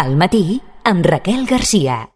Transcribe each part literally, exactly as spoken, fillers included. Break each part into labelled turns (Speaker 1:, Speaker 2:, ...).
Speaker 1: Al matí, amb Raquel Garcia.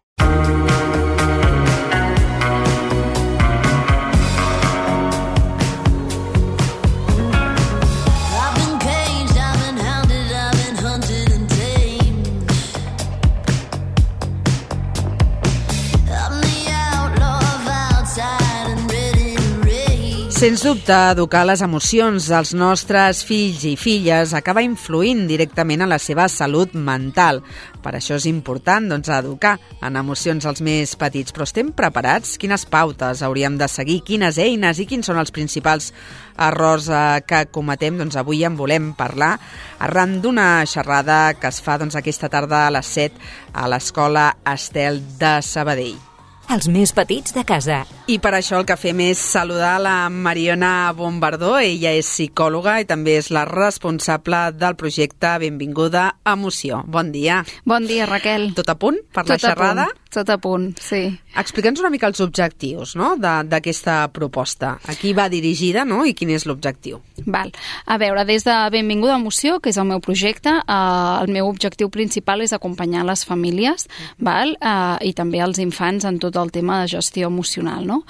Speaker 2: Sens dubte, educar les emocions dels nostres fills i filles acaba influint directament en la seva salut mental. Per això és important, doncs, educar en emocions als més petits. Però estem preparats? Quines pautes hauríem de seguir? Quines eines i quins són els principals errors eh, que cometem? Doncs avui en volem parlar arran d'una xerrada que es fa doncs, aquesta tarda a les set a l'Escola Estel de Sabadell.
Speaker 1: Els més petits de casa.
Speaker 2: I per això el que fem és saludar la Mariona Bombardó. Ella és psicòloga i també és la responsable del projecte Benvinguda Emoció. Bon dia.
Speaker 3: Bon dia, Raquel.
Speaker 2: Tot a punt per la
Speaker 3: Tot a
Speaker 2: xerrada?
Speaker 3: punt, tot a punt, sí.
Speaker 2: Explica'ns una mica els objectius, no?, d'aquesta proposta. A qui va dirigida, no?, i quin és l'objectiu?
Speaker 3: Val. A veure, des de Benvinguda Emoció, que és el meu projecte, eh, el meu objectiu principal és acompanyar les famílies, val? Eh, i també els infants en tot el tema de gestió emocional, no?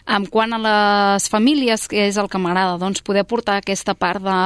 Speaker 3: En quant a les famílies, que és el que m'agrada, doncs poder portar aquesta part de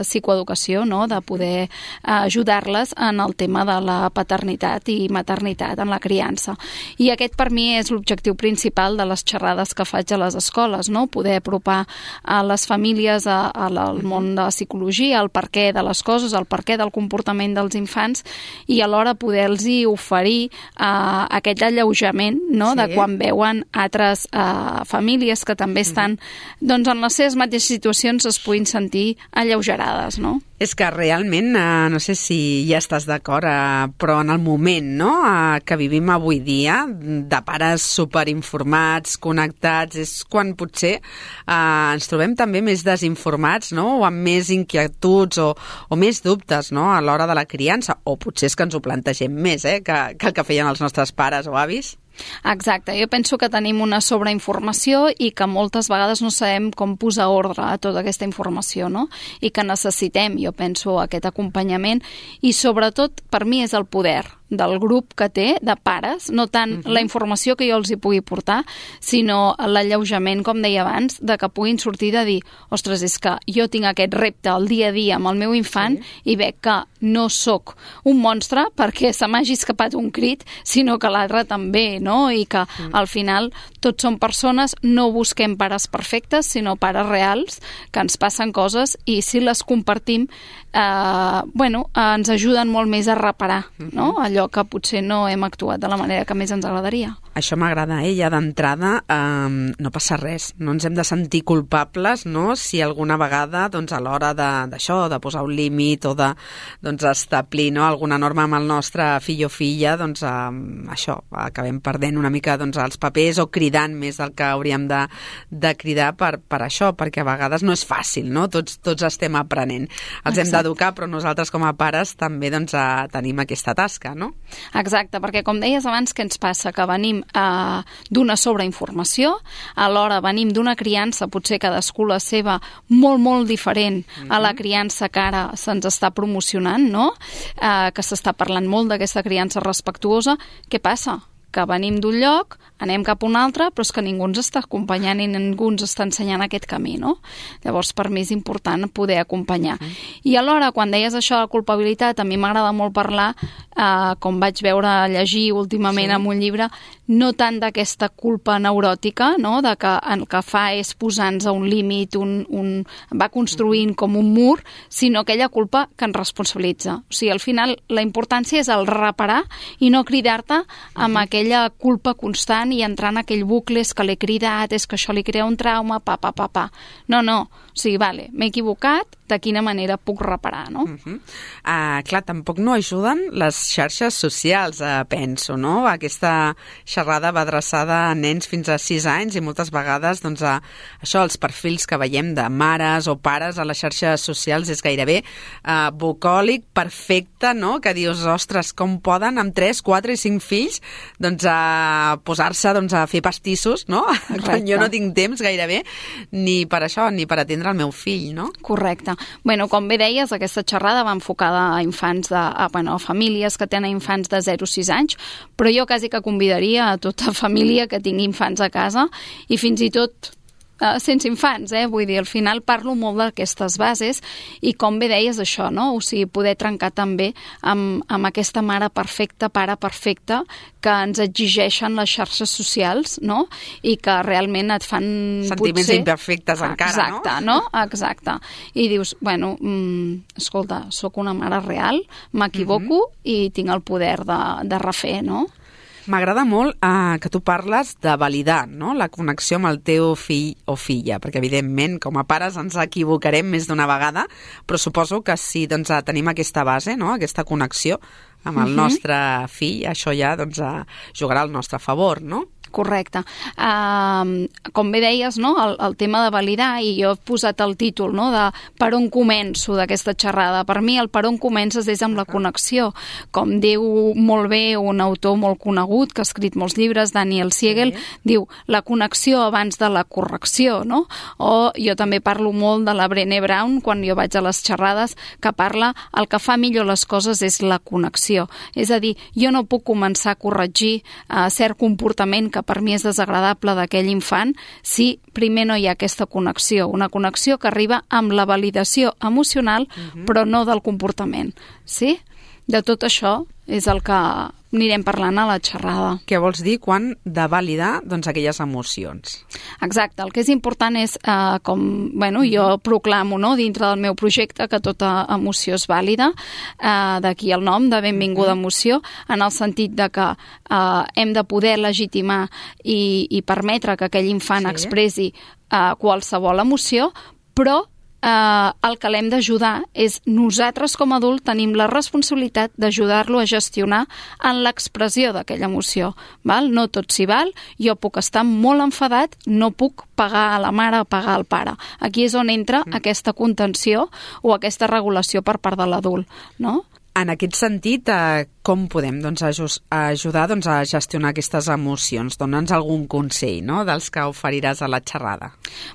Speaker 3: psicoeducació, no?, de poder ajudar-les en el tema de la paternitat i maternitat, en la criança. I aquest per mi és l'objectiu principal de les xerrades que faig a les escoles, no? Poder apropar a les famílies a, a la, al món de la psicologia, el perquè de les coses, el perquè del comportament dels infants i alhora poder-los oferir uh, aquest alleujament, no?, sí, de quan veuen altres uh, famílies que també estan doncs, en les seves mateixes situacions es puguin sentir alleugerades, no?
Speaker 2: És que realment, eh, no sé si ja estàs d'acord, eh, però en el moment, no?, eh, que vivim avui dia, de pares superinformats, connectats, és quan potser eh, ens trobem també més desinformats, no?, o amb més inquietuds o, o més dubtes, no?, a l'hora de la criança, o potser és que ens ho plantegem més, eh, que, que el que feien els nostres pares o avis.
Speaker 3: Exacte, jo penso que tenim una sobreinformació i que moltes vegades no sabem com posar ordre a tota aquesta informació, no? I que necessitem, jo penso, aquest acompanyament i sobretot per mi és el poder del grup que té, de pares, no tant uh-huh. la informació que jo els hi pugui portar, sinó l'alleujament, com deia abans, de que puguin sortir de dir, ostres, és que jo tinc aquest repte al dia a dia amb el meu infant sí. i veig que no sóc un monstre perquè se m'hagi escapat un crit, sinó que l'altre també, no? I que uh-huh. al final tots som persones, no busquem pares perfectes, sinó pares reals, que ens passen coses i si les compartim, eh, bueno, eh, ens ajuden molt més a reparar, uh-huh. no? Allò que potser no hem actuat de la manera que més ens agradaria.
Speaker 2: Això m'agrada, eh? Ja d'entrada eh, no passa res, no ens hem de sentir culpables, no?, si alguna vegada doncs, a l'hora d'això, de, de posar un límit o de doncs, establir, no?, alguna norma amb el nostre fill o filla, doncs eh, això, acabem perdent una mica doncs, els papers o cridant més del que hauríem de, de cridar per, per això, perquè a vegades no és fàcil, no?, tots, tots estem aprenent. Els Exacte. Hem d'educar, però nosaltres com a pares també doncs, eh, tenim aquesta tasca, no?
Speaker 3: Exacte, perquè com deies abans, què ens passa? Que venim eh, d'una sobreinformació, alhora venim d'una criança, potser cadascú la seva, molt, molt diferent mm-hmm. a la criança que ara se'ns està promocionant, no? Eh, que s'està parlant molt d'aquesta criança respectuosa. Què passa? Que venim d'un lloc, anem cap a un altre, però és que ningú ens està acompanyant i ningú ens està ensenyant aquest camí, no? Llavors, per mi és important poder acompanyar. Uh-huh. I alhora, quan deies això de la culpabilitat, a mi m'agrada molt parlar, eh, com vaig veure llegir últimament sí. en un llibre, no tant d'aquesta culpa neuròtica, no? De que el que fa és posar-nos a un límit, un, un, va construint uh-huh. com un mur, sinó aquella culpa que ens responsabilitza. O sigui, al final, la importància és el reparar i no cridar-te amb uh-huh. aquella culpa constant i entrar en aquell bucle, és que l'he cridat, és que això li crea un trauma, pa, pa, pa, pa. No, no, o sigui, vale, m'he equivocat, de quina manera puc reparar, no?
Speaker 2: Uh-huh. uh, clar, tampoc no ajuden les xarxes socials, uh, penso, no? Aquesta xerrada va adreçada a nens fins a sis anys i moltes vegades, doncs, a, això, els perfils que veiem de mares o pares a les xarxes socials és gairebé uh, bucòlic, perfecte, no? Que dius, ostres, com poden amb tres, quatre i cinc fills doncs, a posar-se doncs, a fer pastissos, no? Correcte. Quan jo no tinc temps gairebé ni per això, ni per atendre el meu fill, no?
Speaker 3: Correcte. Bueno, com bé deies, aquesta xerrada va enfocada a infants de, a, bueno, a famílies que tenen infants de zero a sis anys, però jo quasi que convidaria a tota família que tingui infants a casa i fins i tot Uh, sense infants, eh? Vull dir, al final parlo molt d'aquestes bases i com bé deies això, no? O sigui, poder trencar també amb, amb aquesta mare perfecta, pare perfecte que ens exigeixen les xarxes socials, no? I que realment et fan
Speaker 2: sentiments
Speaker 3: potser...
Speaker 2: imperfectes encara,
Speaker 3: Exacte, no? no? Exacte. I dius, bueno, mm, escolta, sóc una mare real, m'equivoco mm-hmm. i tinc el poder de, de refer, no?
Speaker 2: M'agrada molt eh, que tu parles de validar, no?, la connexió amb el teu fill o filla, perquè evidentment com a pares ens equivocarem més d'una vegada, però suposo que si doncs, tenim aquesta base, no?, aquesta connexió amb el uh-huh. nostre fill, això ja doncs, jugarà al nostre favor, no?
Speaker 3: Correcte. Uh, com bé deies, no? el, el tema de validar, i jo he posat el títol, no? de per on començo d'aquesta xerrada. Per mi el per on comences és amb la connexió. Com diu molt bé un autor molt conegut que ha escrit molts llibres, Daniel Siegel, sí. diu la connexió abans de la correcció, no? O jo també parlo molt de la Brené Brown quan jo vaig a les xerrades, que parla el que fa millor les coses és la connexió. És a dir, jo no puc començar a corregir uh, cert comportament que per mi és desagradable d'aquell infant si primer no hi ha aquesta connexió, una connexió que arriba amb la validació emocional uh-huh. però no del comportament, sí? De tot això és el que anirem parlant a la xerrada.
Speaker 2: Què vols dir quan de validar doncs, aquelles emocions?
Speaker 3: Exacte, el que és important és, eh, com bueno, jo proclamo no, dintre del meu projecte que tota emoció és vàlida, eh, d'aquí el nom de benvinguda emoció, en el sentit de que eh, hem de poder legitimar i, i permetre que aquell infant sí. expressi eh, qualsevol emoció, però Uh, el que l'hem d'ajudar és nosaltres com a adult tenim la responsabilitat d'ajudar-lo a gestionar en l'expressió d'aquella emoció. Val? No tot s'hi val, jo puc estar molt enfadat, no puc pagar a la mare o pagar al pare. Aquí és on entra mm. aquesta contenció o aquesta regulació per part de l'adult, no?
Speaker 2: En aquest sentit, eh, com podem doncs, ajudar doncs, a gestionar aquestes emocions? Dóna'ns algun consell, no?, dels que oferiràs a la xerrada.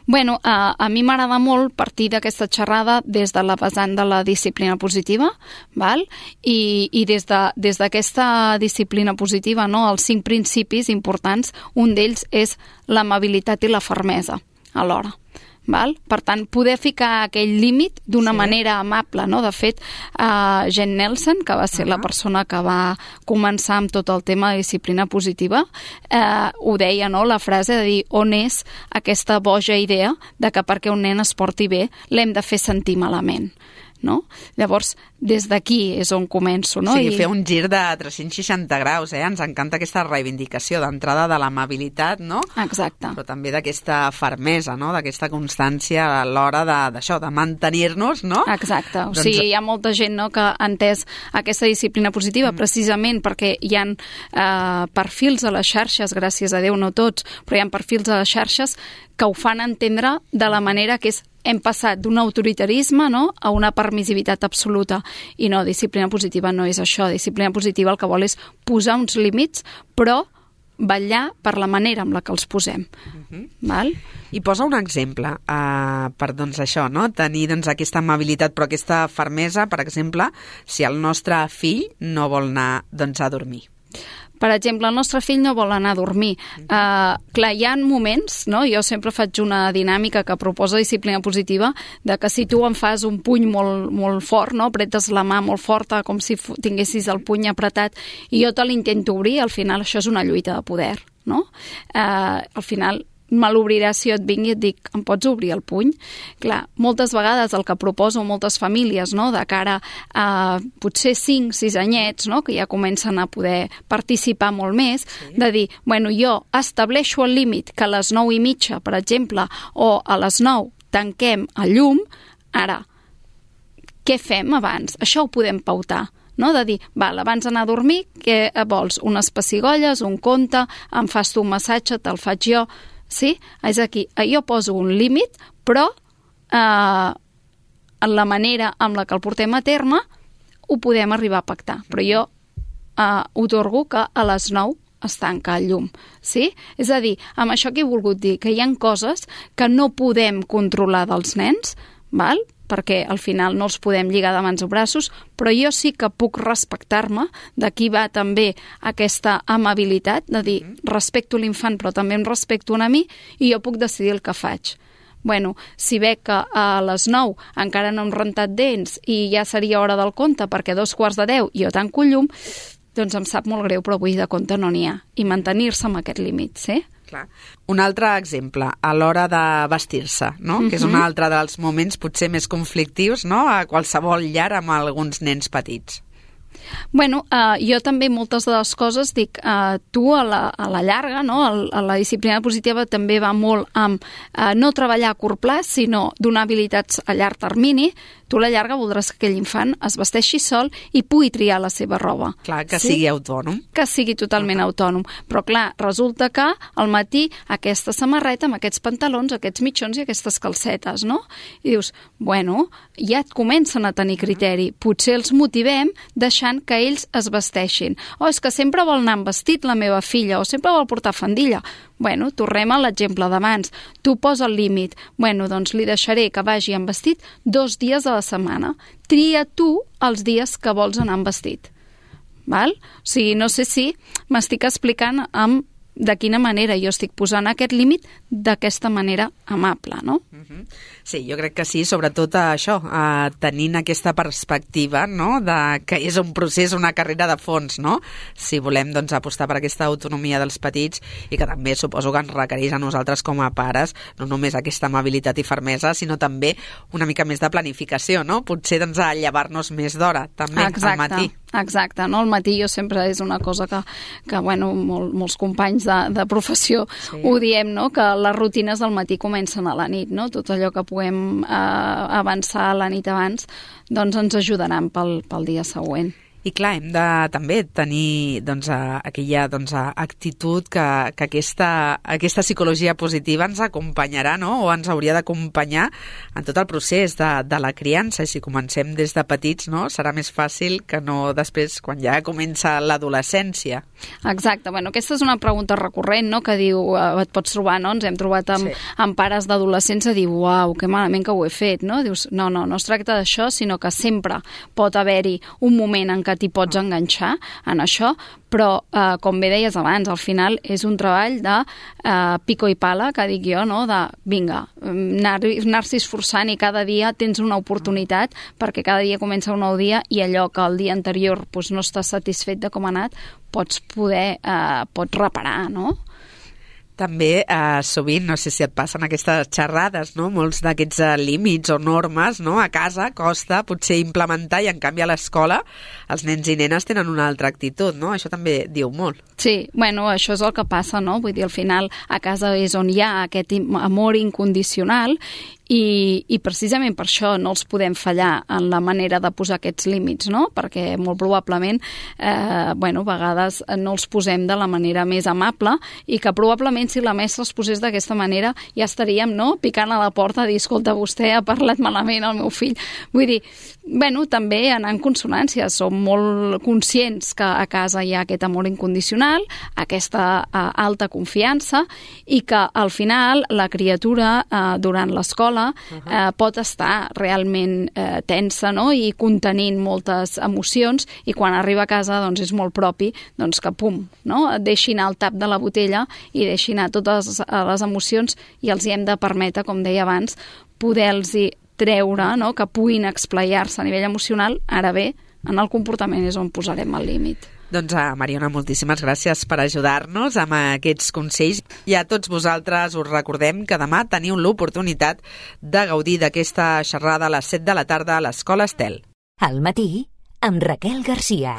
Speaker 3: Bueno, a, a mi m'agrada molt partir d'aquesta xerrada des de la vessant de la disciplina positiva, val? I, i des de, des d'aquesta disciplina positiva, no, els cinc principis importants, un d'ells és l'amabilitat i la fermesa alhora. Val? Per tant, poder ficar aquell límit d'una sí. manera amable, no? De fet, uh, Jen Nelson, que va ser uh-huh. la persona que va començar amb tot el tema de disciplina positiva, uh, ho deia, no? La frase de dir on és aquesta boja idea de que perquè un nen es porti bé l'hem de fer sentir malament. No? Llavors, des d'aquí és on començo. No?
Speaker 2: O sigui,
Speaker 3: I...
Speaker 2: fer un gir de tres-cents seixanta graus, eh? Ens encanta aquesta reivindicació d'entrada de l'amabilitat, no?
Speaker 3: Exacte.
Speaker 2: Però també d'aquesta fermesa, no? D'aquesta constància a l'hora d'això, de, de mantenir-nos, no?
Speaker 3: Exacte. O
Speaker 2: doncs...
Speaker 3: sigui, hi ha molta gent no, que ha entès aquesta disciplina positiva mm. precisament perquè hi ha eh, perfils a les xarxes, gràcies a Déu no tots, però hi ha perfils a les xarxes que ho fan entendre de la manera que és hem passat d'un autoritarisme no, a una permissivitat absoluta. I no, disciplina positiva no és això. Disciplina positiva el que vol és posar uns límits, però vetllar per la manera amb la que els posem. Uh-huh. Val?
Speaker 2: I posa un exemple uh, per doncs, això, no? Tenir doncs, aquesta amabilitat però aquesta fermesa, per exemple, si el nostre fill no vol anar doncs, a dormir.
Speaker 3: Per exemple, el nostre fill no vol anar a dormir. Uh, clar, hi ha moments, no? Jo sempre faig una dinàmica que proposa disciplina positiva, de que si tu em fas un puny molt, molt fort, no? Apretes la mà molt forta, com si tinguessis el puny apretat, i jo te l'intento obrir, al final això és una lluita de poder, no? Uh, al final me l'obriràs si jo et vinc i et dic, em pots obrir el puny? Clar, moltes vegades el que proposo moltes famílies, no, de cara a potser cinc, sis anyets, no, que ja comencen a poder participar molt més, sí. de dir, bueno, jo estableixo el límit que a les nou i mitja, per exemple, o a les nou tanquem el llum, ara, què fem abans? Això ho podem pautar. No? De dir, val, abans d'anar a dormir, què vols? Unes pessigolles, un conte, em fas tu un massatge, te'l faig jo... Sí? És aquí, jo poso un límit, però eh, en la manera amb la que el portem a terme ho podem arribar a pactar. Però jo eh, otorgo que a les nou es tanca el llum. Sí? És a dir, amb això que he volgut dir, que hi ha coses que no podem controlar dels nens, val? perquè al final no els podem lligar de mans o braços, però jo sí que puc respectar-me, d'aquí va també aquesta amabilitat, de dir, respecto l'infant però també em respecto a mi i jo puc decidir el que faig. Bueno, si veig que a les nou encara no hem rentat dents i ja seria hora del conte perquè a dos quarts de deu jo tanco el llum, doncs em sap molt greu, però avui de compte no n'hi ha. I mantenir-se amb aquest límit, sí?
Speaker 2: Clar. Un altre exemple, a l'hora de vestir-se, no? Uh-huh. Que és un altre dels moments potser més conflictius, no? A qualsevol llar amb alguns nens petits.
Speaker 3: Bueno, eh, jo també moltes de les coses dic, eh, tu a la, a la llarga, no? a la disciplina positiva també va molt amb eh, no treballar a curt plaç, sinó donar habilitats a llarg termini. Tu a la llarga voldràs que aquell infant es vesteixi sol i pugui triar la seva roba.
Speaker 2: Clar, que
Speaker 3: sí?
Speaker 2: sigui autònom.
Speaker 3: Que sigui totalment uh-huh. autònom. Però clar, resulta que al matí aquesta samarreta amb aquests pantalons, aquests mitjons i aquestes calcetes, no? I dius, bueno, ja et comencen a tenir criteri. Potser els motivem deixant que ells es vesteixin. O és que sempre vol anar amb vestit la meva filla, o sempre vol portar faldilla. Bueno, tornem a l'exemple d'abans. Tu posa el límit. Bueno, doncs li deixaré que vagi amb vestit dos dies a la setmana. Tria tu els dies que vols anar amb vestit. Val? O sigui, no sé si m'estic explicant amb de quina manera jo estic posant aquest límit d'aquesta manera amable, no?
Speaker 2: Uh-huh. Sí, jo crec que sí, sobretot a això, a tenint aquesta perspectiva, no?, de que és un procés, una carrera de fons, no?, si volem, doncs, apostar per aquesta autonomia dels petits i que també suposo que ens requereix a nosaltres com a pares, no només aquesta amabilitat i fermesa, sinó també una mica més de planificació, no? Potser, doncs, a llevar-nos més d'hora, també,
Speaker 3: exacte,
Speaker 2: al matí.
Speaker 3: Exacte, no? Al matí jo sempre és una cosa que, que bueno, molt, molts companys de, de professió sí. ho diem, no?, que les rutines del matí comencen a la nit, no? Tot allò que puguem eh, avançar la nit abans, doncs ens ajudaran pel, pel dia següent.
Speaker 2: I clar, hem de també tenir doncs, aquella doncs, actitud que, que aquesta, aquesta psicologia positiva ens acompanyarà, no?, o ens hauria d'acompanyar en tot el procés de, de la criança. I si comencem des de petits, no?, serà més fàcil que no després, quan ja comença l'adolescència.
Speaker 3: Exacte. Bueno, aquesta és una pregunta recurrent, no?, que diu, eh, et pots trobar, no?, ens hem trobat amb, sí. amb pares d'adolescents a dir, uau, que malament que ho he fet, no? Dius, no, no, no es tracta d'això, sinó que sempre pot haver-hi un moment en què t'hi pots enganxar en això, però, eh, com bé deies abans, al final és un treball de eh, pico i pala, que dic jo, no?, de, vinga, anar-s'hi esforçant i cada dia tens una oportunitat perquè cada dia comença un nou dia i allò que el dia anterior doncs, no estàs satisfet de com ha anat, pots poder, eh, pots reparar, no?
Speaker 2: També, eh, sovint, no sé si et passen aquestes xerrades, no?, molts d'aquests eh, límits o normes, no?, a casa costa potser implementar i en canvi a l'escola els nens i nenes tenen una altra actitud, no? Això també diu molt.
Speaker 3: Sí, bueno, això és el que passa, no? Vull dir, al final a casa és on hi ha aquest amor incondicional i, i precisament per això no els podem fallar en la manera de posar aquests límits, no? Perquè molt probablement, eh, bueno, a vegades no els posem de la manera més amable i que probablement si la mestra els posés d'aquesta manera ja estaríem, no?, picant a la porta a dir, escolta, vostè ha parlat malament al meu fill. Vull dir, bueno, també anar en consonància. Som molt conscients que a casa hi ha aquest amor incondicional, aquesta eh, alta confiança i que al final la criatura eh, durant l'escola eh, pot estar realment eh, tensa, no?, i contenint moltes emocions i quan arriba a casa doncs és molt propi doncs que pum, no?, deixi anar el tap de la botella i deixi anar totes les emocions i els hi hem de permetre, com deia abans, poder-los treure, no?, que puguin explaiar-se a nivell emocional. Ara bé, en el comportament és on posarem el límit.
Speaker 2: Doncs, uh, Mariona, moltíssimes gràcies per ajudar-nos amb aquests consells. I a tots vosaltres us recordem que demà teniu l'oportunitat de gaudir d'aquesta xerrada a les set de la tarda a l'Escola Estel.
Speaker 1: Al matí, amb Raquel Garcia.